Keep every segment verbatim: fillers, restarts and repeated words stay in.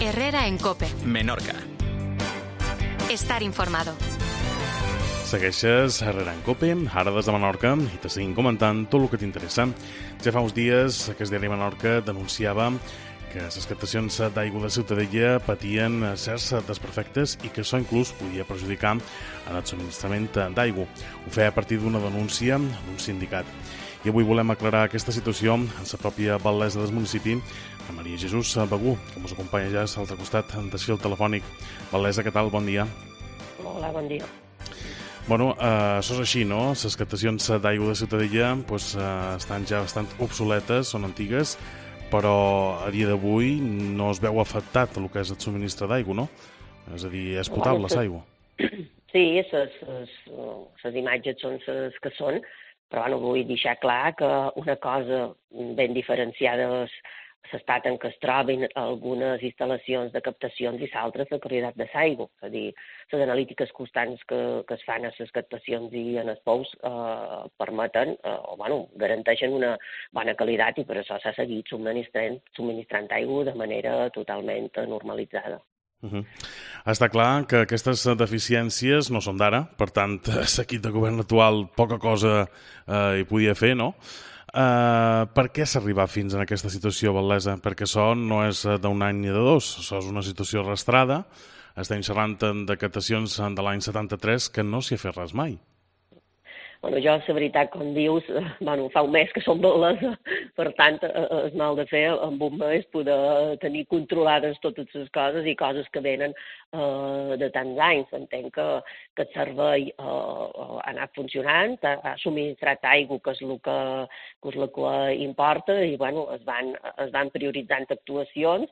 Herrera en COPE. Menorca. Estar informado. Segueixes Herrera en COPE, ara des de Menorca, i te seguim comentant tot el que t'interessa. Ja fa uns dies, aquest diari Menorca denunciava que les captacions d'aigua de Ciutadella patien certs desperfectes i que això inclús podia perjudicar en el subministrament d'aigua. Ho feia a partir d'una denúncia d'un sindicat. I avui volem aclarar aquesta situació en la pròpia batllessa del municipi, la Maria Jesús Begú, que ens acompanya ja a l'altre costat del fil telefònic. Batllessa, què tal? Bon dia. Hola, bon dia. Bueno, eh, això és així, no? Les captacions d'aigua de Ciutadella pues, eh, estan ja bastant obsoletes, són antigues, però a dia d'avui no es veu afectat el que és el subministre d'aigua, no? És a dir, és potable l'aigua. Sí, les imatges són les que són, però bueno, vull deixar clar que una cosa ben diferenciada és l'estat en què es troben algunes instal·lacions de captacions i l'altra la qualitat de l'aigua. És a dir, les analítiques constants que, que es fan a les captacions i en els pous eh, permeten, eh, o bueno, garanteixen una bona qualitat i per això s'ha seguit subministrant, subministrant aigua de manera totalment normalitzada. Uh -huh. Està clar que aquestes deficiències no són d'ara, per tant, l'equip de govern actual poca cosa eh, hi podia fer, no? Uh, per què s'ha arribat fins a aquesta situació, batllessa? Perquè això no és d'un any ni de dos, això és una situació arrastrada. Estem xerrant de captacions de l'any setanta-tres que no s'hi ha fet res mai. Bueno, jo, la veritat, com dius, bueno, fa un mes que som batllessa, per tant, és mal de fer amb un mes poder tenir controlades totes les coses i coses que venen eh, de tants anys. Entenc que, que el servei eh, ha anat funcionant, ha, ha subministrat aigua, que és el que, que, és el que importa, i bueno, es van, es van prioritzant actuacions.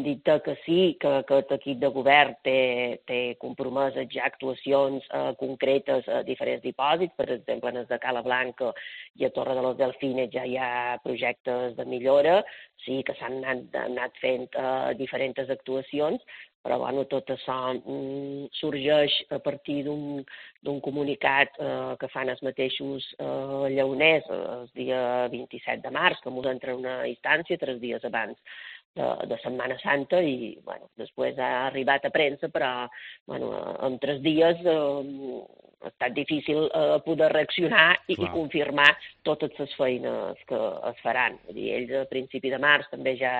Dit que sí, que, que l'equip de govern té, té compromeses ja actuacions eh, concretes a diferents dipòsits, per exemple, en el de Cala Blanca i a Torre de los Delfines ja hi ha projectes de millora, sí que s'han anat, anat fent uh, diferents actuacions, però bueno, tot això mm, sorgeix a partir d'un comunicat uh, que fan els mateixos uh, lleoners el dia vint-i-set de març, que ens entra una instància tres dies abans de, de Setmana Santa i bueno, després ha arribat a premsa, però bueno, en tres dies uh, ha estat difícil eh, poder reaccionar i, i confirmar totes les feines que es faran. Vull dir, ells a principi de març també ja,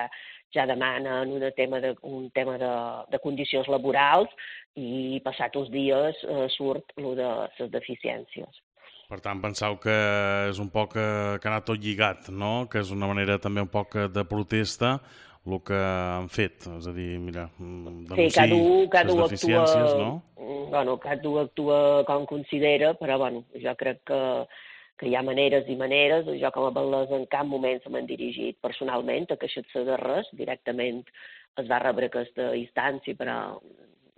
ja demanen una tema de, un tema de, de condicions laborals i passats uns dies eh, surt el de les deficiències. Per tant, penseu que és un poc que, que ha anat tot lligat, no? Que és una manera també un poc de protesta el que han fet, és a dir, mira, denunciar sí, cada un, cada les deficiències, actua, no? Bueno, cada un actua com considera, però bueno, jo crec que, que hi ha maneres i maneres. Jo com a batllessa en cap moment se m'han dirigit personalment a queixar-se de res, directament es va rebre aquesta instància, però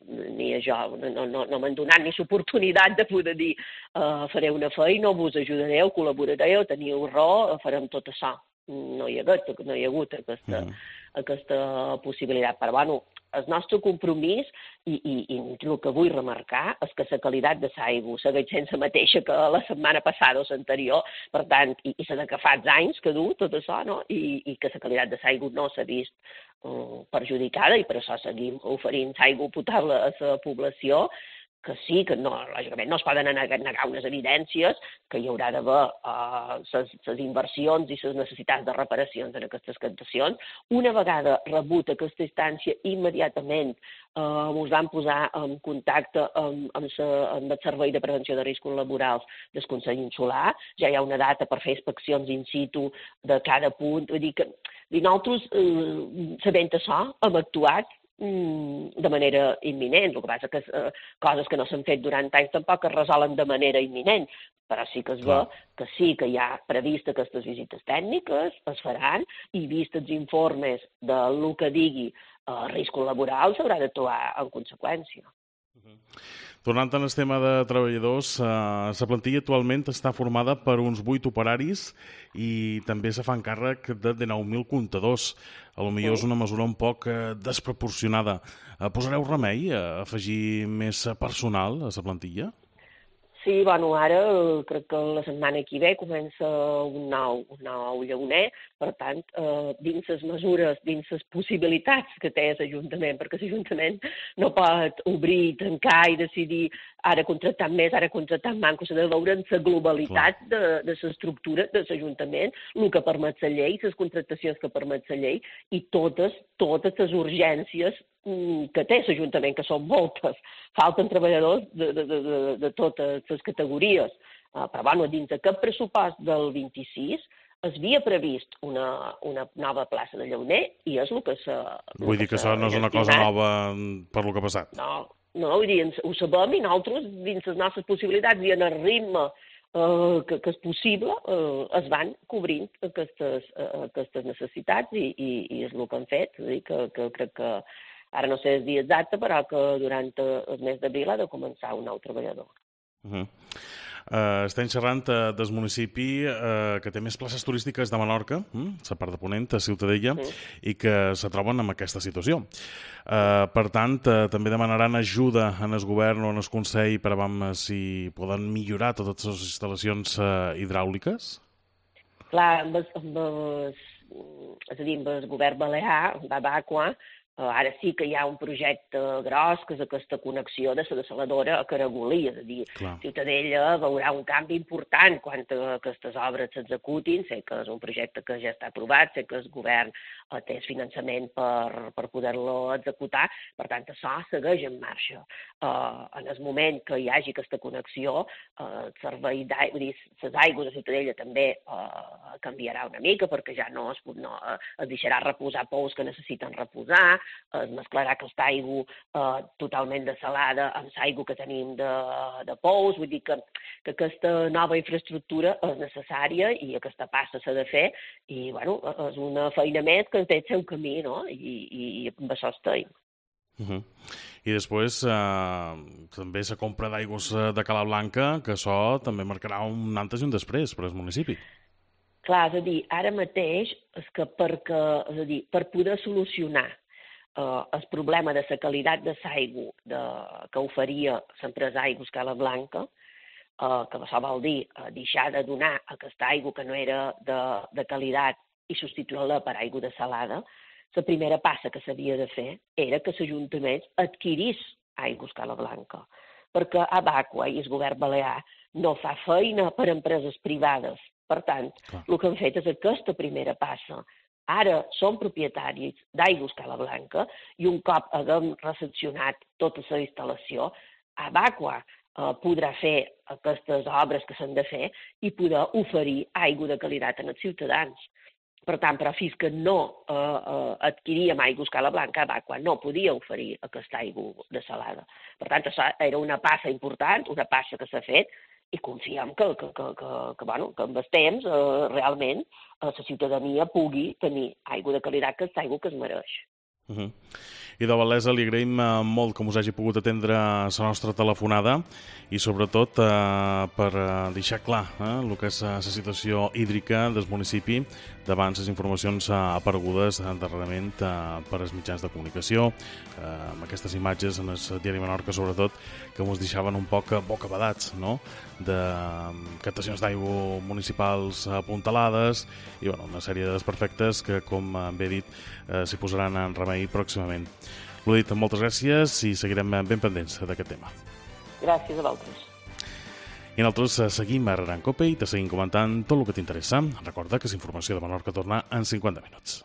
ni a jo, no, no, no m'han donat ni l'oportunitat de poder dir uh, faré una feina, vos ajudareu, col·laborareu, teniu raó, farem tot això. No hi ha hagut, no hi ha hagut aquesta, mm. aquesta possibilitat. Però, bueno, el nostre compromís i, i, i el que vull remarcar és que la qualitat de l'aigua segueix sent la mateixa que la setmana passada o l'anterior, per tant, i, i la que fa anys que du tot això, no? I, i que la qualitat de l'aigua no s'ha vist um, perjudicada i per això seguim oferint aigua potable a la població, que sí, que no, lògicament no es poden negar unes evidències, que hi haurà d'haver les uh, inversions i les necessitats de reparacions en aquestes captacions. Una vegada rebut aquesta instància, immediatament uh, ens vam posar en contacte amb, amb, sa, amb el Servei de Prevenció de Riscos Laborals del Consell Insular. Ja hi ha una data per fer inspeccions in situ de cada punt. Vull dir que nosaltres, uh, sabent això, hem actuat de manera imminent. El que passa que eh, coses que no s'han fet durant anys tampoc es resolen de manera imminent, però sí que es veu que sí que hi ha previst aquestes visites tècniques, es faran, i vist els informes del que digui eh, riscos laborals s'haurà d'actuar en conseqüència. Uh-huh. Tornant al tema de treballadors, eh, la plantilla actualment està formada per uns vuit operaris i també se fan càrrec de dinou mil comptadors. A lo millor és una mesura un poc eh, desproporcionada. Eh, posareu remei a afegir més personal a la plantilla? Sí, bueno, ara eh, crec que la setmana que ve comença un nou, un nou llauner, per tant, eh, dins les mesures, dins les possibilitats que té l'Ajuntament, perquè l'Ajuntament no pot obrir, tancar i decidir ara contractar més, ara contractar manco, s'ha de veure en la globalitat de, de l'estructura de l'Ajuntament, el que permet la llei, les contractacions que permet la llei i totes, totes les urgències que té l'Ajuntament, que són moltes. Falten treballadors de, de, de, de totes les categories. Uh, però, bueno, dins d'aquest pressupost del vint-i-sis es havia previst una, una nova plaça de llauner i és el que s'ha... Vull dir que això no és una cosa nova per lo que ha passat. No, no, vull dir, ho sabem i nosaltres, dins les nostres possibilitats i en el ritme Uh, que, que és possible, uh, es van cobrint aquestes, uh, aquestes necessitats i, i, i és el que han fet. És a dir, que, que crec que, ara no sé el dia exacte, però que durant el mes d'abril ha de començar un nou treballador. Uh-huh. Uh, estem xerrant uh, del municipi uh, que té més places turístiques de Menorca, uh, la part de Ponent, a Ciutadella, sí. I que se troben en aquesta situació. Uh, per tant, uh, també demanaran ajuda en el govern o en el Consell per a veure si poden millorar totes les instal·lacions uh, hidràuliques? Clar, amb el, amb el, és a dir, amb el govern balear, d'Abaqua, Uh, ara sí que hi ha un projecte gros, que és aquesta connexió de la desaladora a Caragolí, és a dir, Clar. Ciutadella veurà un canvi important quan aquestes obres s'executin. Sé que és un projecte que ja està aprovat, sé que el govern uh, té el finançament per, per poder-lo executar, per tant, això segueix en marxa. Uh, en el moment que hi hagi aquesta connexió, uh, el servei d'aigua, les aigües de Ciutadella també uh, canviarà una mica, perquè ja no es, no, uh, es deixarà reposar pous que necessiten reposar, es mesclarà aquesta aigua eh, totalment desalada amb l'aigua que tenim de, de pous. Vull dir que, que aquesta nova infraestructura és necessària i aquesta passa s'ha de fer i, bueno, és una feina més que té el seu camí, no? I, i, i amb això estem. Uh-huh. I després eh, també la compra d'aigües de Cala Blanca, que això també marcarà un antes i un després per al municipi. Clar, és a dir, ara mateix és que perquè, és a dir, per poder solucionar Uh, el problema de la qualitat de l'aigua que oferia l'empresa Aigües Cala Blanca, uh, que això vol dir uh, deixar de donar aquesta aigua que no era de, de qualitat i substituir-la per aigua desalada, la primera passa que s'havia de fer era que l'Ajuntament adquirís Aigües Cala Blanca, perquè Abaqua i el govern balear no fa feina per a empreses privades. Per tant, Clar. El que han fet és aquesta primera passa. Ara som propietaris d'Aigües Cala Blanca i un cop haguem recepcionat tota la instal·lació, Abaqua eh, podrà fer aquestes obres que s'han de fer i poder oferir aigua de qualitat als ciutadans. Per tant, però fins que no eh, eh, adquiríem Aigües Cala Blanca, Abaqua no podia oferir aquesta aigua desalada. Per tant, això era una passa important, una passa que s'ha fet, i confiem que, que, que, que, que, bueno, que amb el temps eh, realment eh, la ciutadania pugui tenir aigua de qualitat, que és aigua que es mereix. Uh-huh. I de Valesa li agraïm molt que us hagi pogut atendre a la nostra telefonada i sobretot eh, per deixar clar eh, el que és la situació hídrica del municipi davant les informacions aparegudes darrerament eh, per als mitjans de comunicació, eh, amb aquestes imatges en el diari Menorca sobretot que ens deixaven un poc bocabadats, no?, de captacions d'aigua municipals apuntalades i bueno, una sèrie de desperfectes que, com bé dit, eh, s'hi posaran en remei pròximament. L'ho dit, moltes gràcies i seguirem ben pendents d'aquest tema. Gràcies a vosaltres. I nosaltres seguim a Reran Cope i te seguim comentant tot el que t'interessa. Recorda que la informació de Menorca torna en cinquanta minuts.